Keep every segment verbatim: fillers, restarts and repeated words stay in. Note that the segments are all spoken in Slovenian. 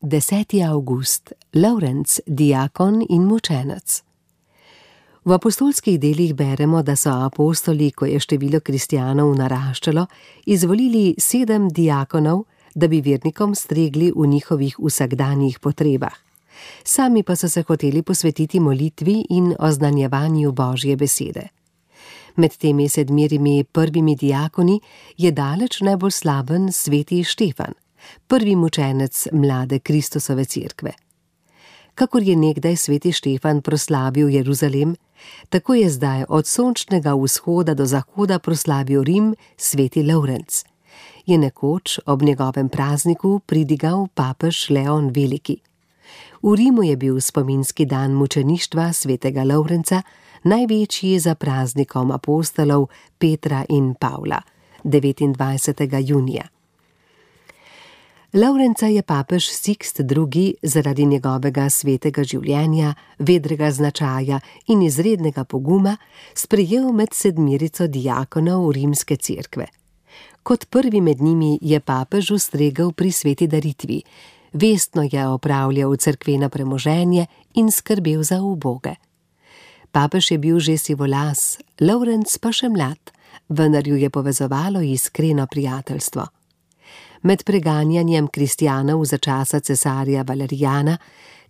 deseti avgust, Lovrenc, diakon in mučenec. V apostolskih delih beremo, da so apostoli, ko je število kristjanov naraščalo, izvolili sedem diakonov, da bi vernikom stregli v njihovih vsakdanjih potrebah. Sami pa so se hoteli posvetiti molitvi in oznanjevanju Božje besede. Med temi sedmirimi prvimi diakoni je daleč najbolj slaven sveti Štefan, prvi mučenec mlade Kristusove cerkve. Kakor je nekdaj sveti Štefan proslavil Jeruzalem, tako je zdaj od sončnega vzhoda do zahoda proslavil Rim sveti Lovrenc. Je nekoč ob njegovem prazniku pridigal papež Leon Veliki. V Rimu je bil spominski dan mučeništva svetega Lovrenca, največji za praznikom apostolov Petra in Pavla, devetindvajsetega junija. Lovrenca je papež Sikst drugi zaradi njegovega svetega življenja, vedrega značaja in izrednega poguma sprejel med sedmirico diakonov rimske cerkve. Kot prvi med njimi je papež ustregel pri sveti daritvi, vestno je opravljal cerkveno premoženje in skrbel za uboge. Papež je bil že sivolas, Lovrenc pa še mlad, vendar ju je povezovalo iskreno prijateljstvo. Med preganjanjem kristjanov za časa cesarja Valerijana,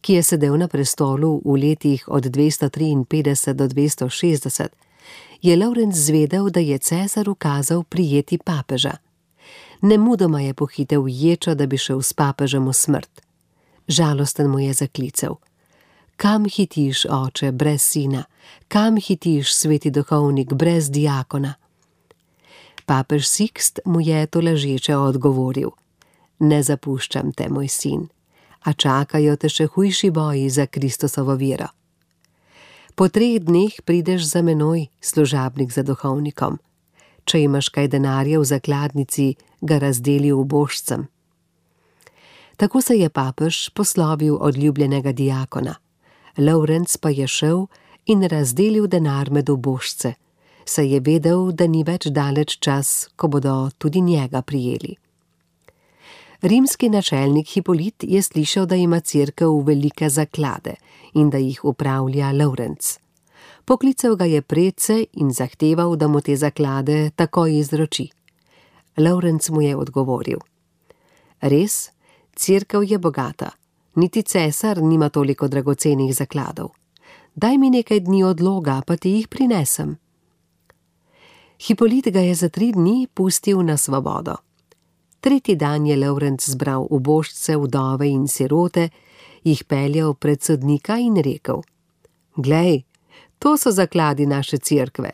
ki je sedel na prestolu v letih od dvesto triinpetdeset do dvesto šestdeset, je Lovrenc zvedel, da je cesar ukazal prijeti papeža. Nemudoma je pohitel ječo, da bi šel s papežem v smrt. Žalosten mu je zaklical: Kam hitiš, oče, brez sina? Kam hitiš, sveti duhovnik, brez diakona? Papež Sikst mu je tolažeče odgovoril: Ne zapuščam te, moj sin, a čakajo te še hujši boji za Kristusovo vero. Po treh dneh prideš za menoj, služabnik za duhovnikom. Če imaš kaj denarja v zakladnici, ga razdeli ubožcem. Tako se je papež poslovil od ljubljenega diakona. Lovrenc pa je šel in razdelil denar med ubožce, saj je vedel, da ni več daleč čas, ko bodo tudi njega prijeli. Rimski načelnik Hipolit je slišal, da ima cerkev velike zaklade in da jih upravlja Lovrenc. Poklical ga je predse in zahteval, da mu te zaklade takoj izroči. Lovrenc mu je odgovoril: Res, cerkev je bogata, niti cesar nima toliko dragocenih zakladov. Daj mi nekaj dni odloga, pa ti jih prinesem. Hipolit ga je za tri dni pustil na svobodo. Tretji dan je Lovrenc zbral ubožce, vdove in sirote, jih peljal pred sodnika in rekel: Glej, to so zakladi naše cerkve.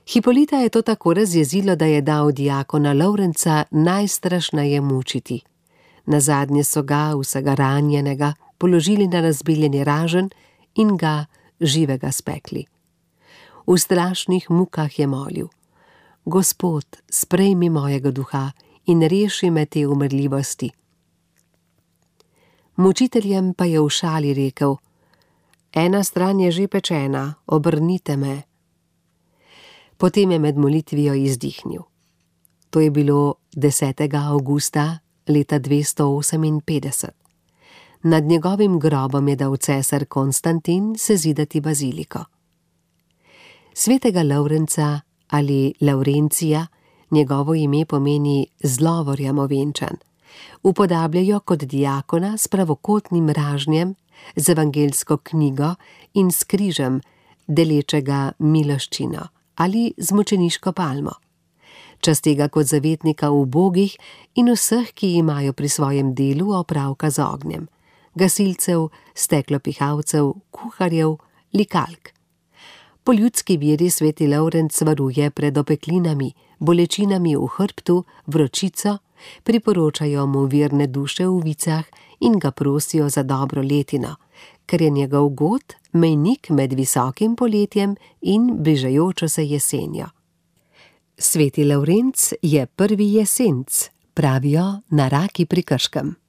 Hipolita je to tako razjezilo, da je dal diakona Lovrenca najstrašneje mučiti. Nazadnje so ga, vsega ranjenega, položili na razbiljeni raženj in ga živega spekli. V strašnih mukah je molil: Gospod, sprejmi mojega duha in reši me te umrljivosti. Mučiteljem pa je v šali rekel: Ena stran je že pečena, obrnite me. Potem je med molitvijo izdihnil. To je bilo desetega avgusta leta dvesto oseminpetdeset. Nad njegovim grobom je dal cesar Konstantin sezidati baziliko. Svetega Lovrenca ali Laurencija, njegovo ime pomeni zlovorjem ovenčan, upodabljajo kot diakona s pravokotnim ražnjem, z evangelsko knjigo in s križem, delečega miloščino, ali z mučeniško palmo. Častega kot zavetnika ubogih in vseh, ki imajo pri svojem delu opravka z ognjem, gasilcev, steklopihalcev, kuharjev, likalk. Po ljudski veri sveti Lovrenc varuje pred opeklinami, bolečinami v hrbtu, vročico, priporočajo mu verne duše v vicah in ga prosijo za dobro letino, ker je njegov god mejnik med visokim poletjem in bližajočo se jesenjo. Sveti Lovrenc je prvi jesenc, pravijo na Raki pri Krškem.